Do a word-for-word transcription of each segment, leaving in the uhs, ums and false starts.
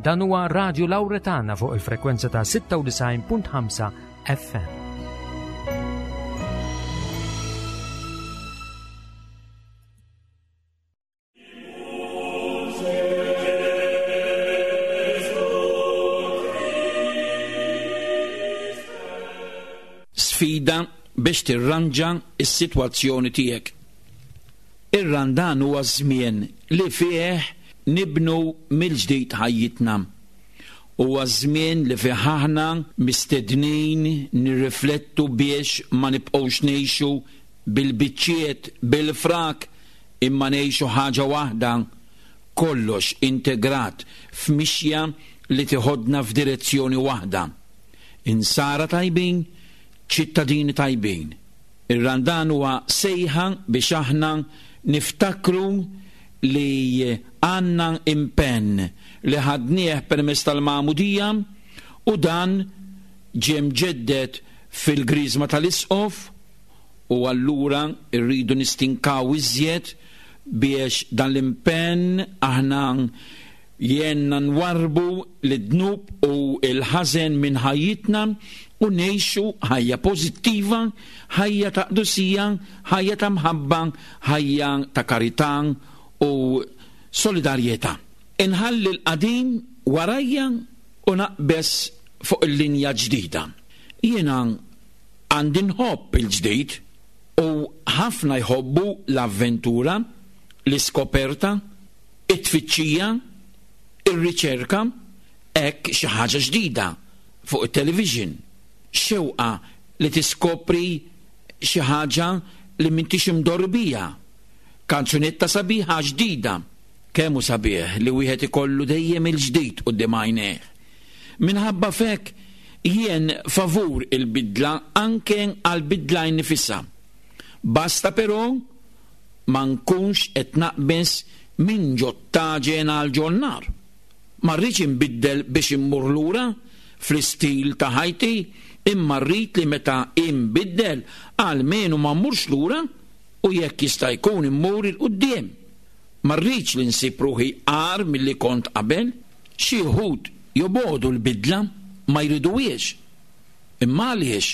Dan huwa Radio Lauretana fuq il-frekwenza ta' sitta u disgħin punt ħamsa F M. Sfida biex tirranġa is-sitwazzjoni tiegħek. Ir-Randan huwa żmien li fih nibnu mill-ġdid ħajjitna. Huwa żmien li fih aħna mistednin nirriflettu biex ma nibqgħux ngħixu bil-biċċiet, bil-frak, imma ngħixu ħaġa waħda, kollox integrat f'mixja li tiħodna f'direzzjoni waħda. Insara tajbin, ċittadini tajbin. Ir-Randan huwa sejħa biex aħna niftakru li għandna impenn li ħadnieh permezz tal-magħmudija u dan ġie mġedded fil-griżma tal-isqof, u allura rridu nistinkaw iżjed biex dan l-impenn aħna jenna nwarbu l-dnub u l-ħażen minn ħajjitna u ngħixu ħajja pożittiva, ħajja ta' qdusija, ħajja ta' mħabba, ħajja ta' karità u solidarjetà. Inħalli l-qadim warajja u naqbes fuq il-linja ġdida. Jiena għandi nħobb il-ġdid u ħafna jħobbu l-avventura, l-iskoperta, it-tfittxija, ir-riċerka, hekk xi ħaġa ġdida fuq it-television, xewqa li tiskopri xi ħaġa li m'intix imdorri biha, kanzunetta sabiħa ġdida. Kemm hu sabiħ li wieħed ikollu dejjem il-ġdid quddiem għajnejh. Minħabba f'hekk jien favur il-bidla, anke għal-bidla nifisha. Basta però ma nkunx qed naqbeż minn ġot-taġen għal ġon-nar. Ma rridx inbiddel biex immur lura fl-istil ta' ħajti, imma rrid li meta inbiddel almenu ma mmurx lura u jekk jista' jkun immur 'il quddiem. Ma rridx li nsib ruħi agħar milli kont qabel. Xi wħud jobogħdu l-bidla, ma jriduhiex. Imma għaliex?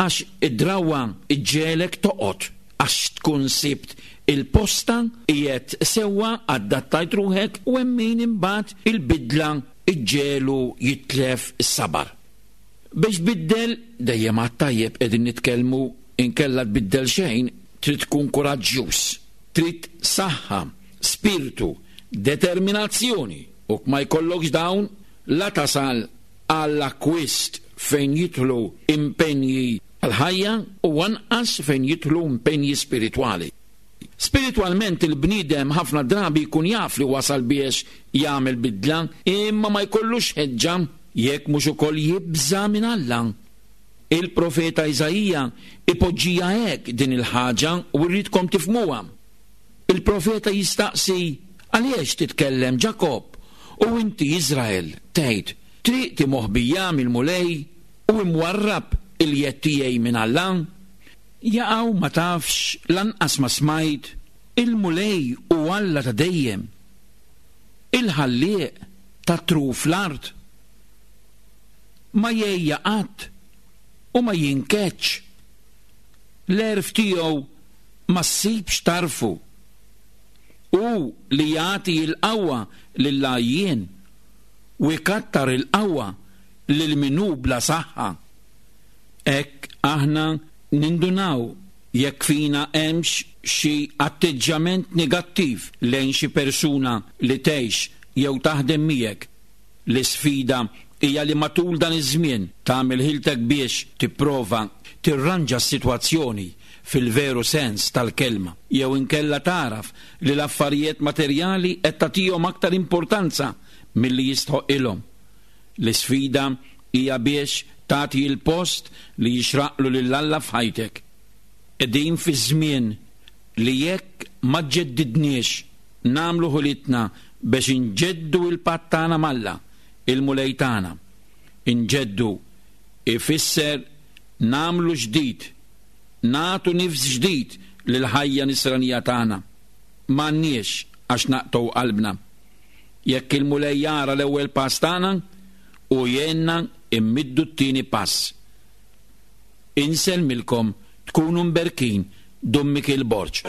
Għax id-drawa iġġegħlek toqgħod, għax tkun sibt il-posta, qiegħed sewwa, adattajt ruħek, u hemm min imbagħad il-bidla iġġegħlu jitlef is-sabar. Biex tbiddel, dejjem għat-tajjeb qegħdin nitkellmu, inkella tbiddel xejn, trid tkun kuraġġjuż, trid saħħa, spiritu, determinazzjoni, u ma jkollokx dawn la tasal għall-akkwist fejn jidħlu impenji għal-ħajja u anqas fejn jidħlu impenji spiritwali. Spiritwalment il-bniedem ħafna drabi jkun jaf li wasal biex jagħmel bidla, imma ma jkollux ħeġġa jekk mhux ukoll jibża' minn Alla. Il-profeta Iżaija ipoġġija hekk din il-ħaġa u rridkom tifhmuha. Il-profeta jistaqsi: "Għaliex titkellem, Ġakob, u inti, Izrael, tgħid: Triqti moħbija mill-Mulej u imwarrab il-jedd tiegħi minn Alla?" Jaqaw ma tafx, lanqas ma smajt? Il-Mulej hu Alla ta' dejjem, il-ħallieq ta' truf l-art. Ma jgħejja qatt u ma jinkeċ. L-għerf tiegħu ma ssibx tarfu. Hu li jagħti l-qawwa lill-għajjien u jkattar il-qawwa lil min hu bla saħħa. Hekk aħna nindunaw jekk fina hemmx xi atteġġjament negattiv lejn xi persuna li tgħix jew taħdem miegħek. L-isfida hija li matul dan iż-żmien tagħmel ħiltek biex tipprova tirranġa s-sitwazzjoni fil-veru sens tal-kelma, jew inkella taraf li l-affarijiet materjali qed tagħtihom aktar importanza milli jistħoqilhom. L-isfida hija biex tagħti l-post li jixraqlu lil Alla f'ħajtek. Qegħdin fi żmien li jekk ma ġeddidniex, nagħmlu ħilitna biex inġeddu il-patt tagħna m'Alla, il-Mulej tagħna. Inġeddu ifisser nagħmlu ġdid, nagħtu nifs ġdid lil ħajja nisranija tagħna. M'għandniex għax naqtgħu qalbna. Jekk il-Mulej jara l-ewwel pass tagħna u jgħinna immiddu t-tieni pass. Insellmilkom, tkunu mberkin. Dun Mikiel Borg.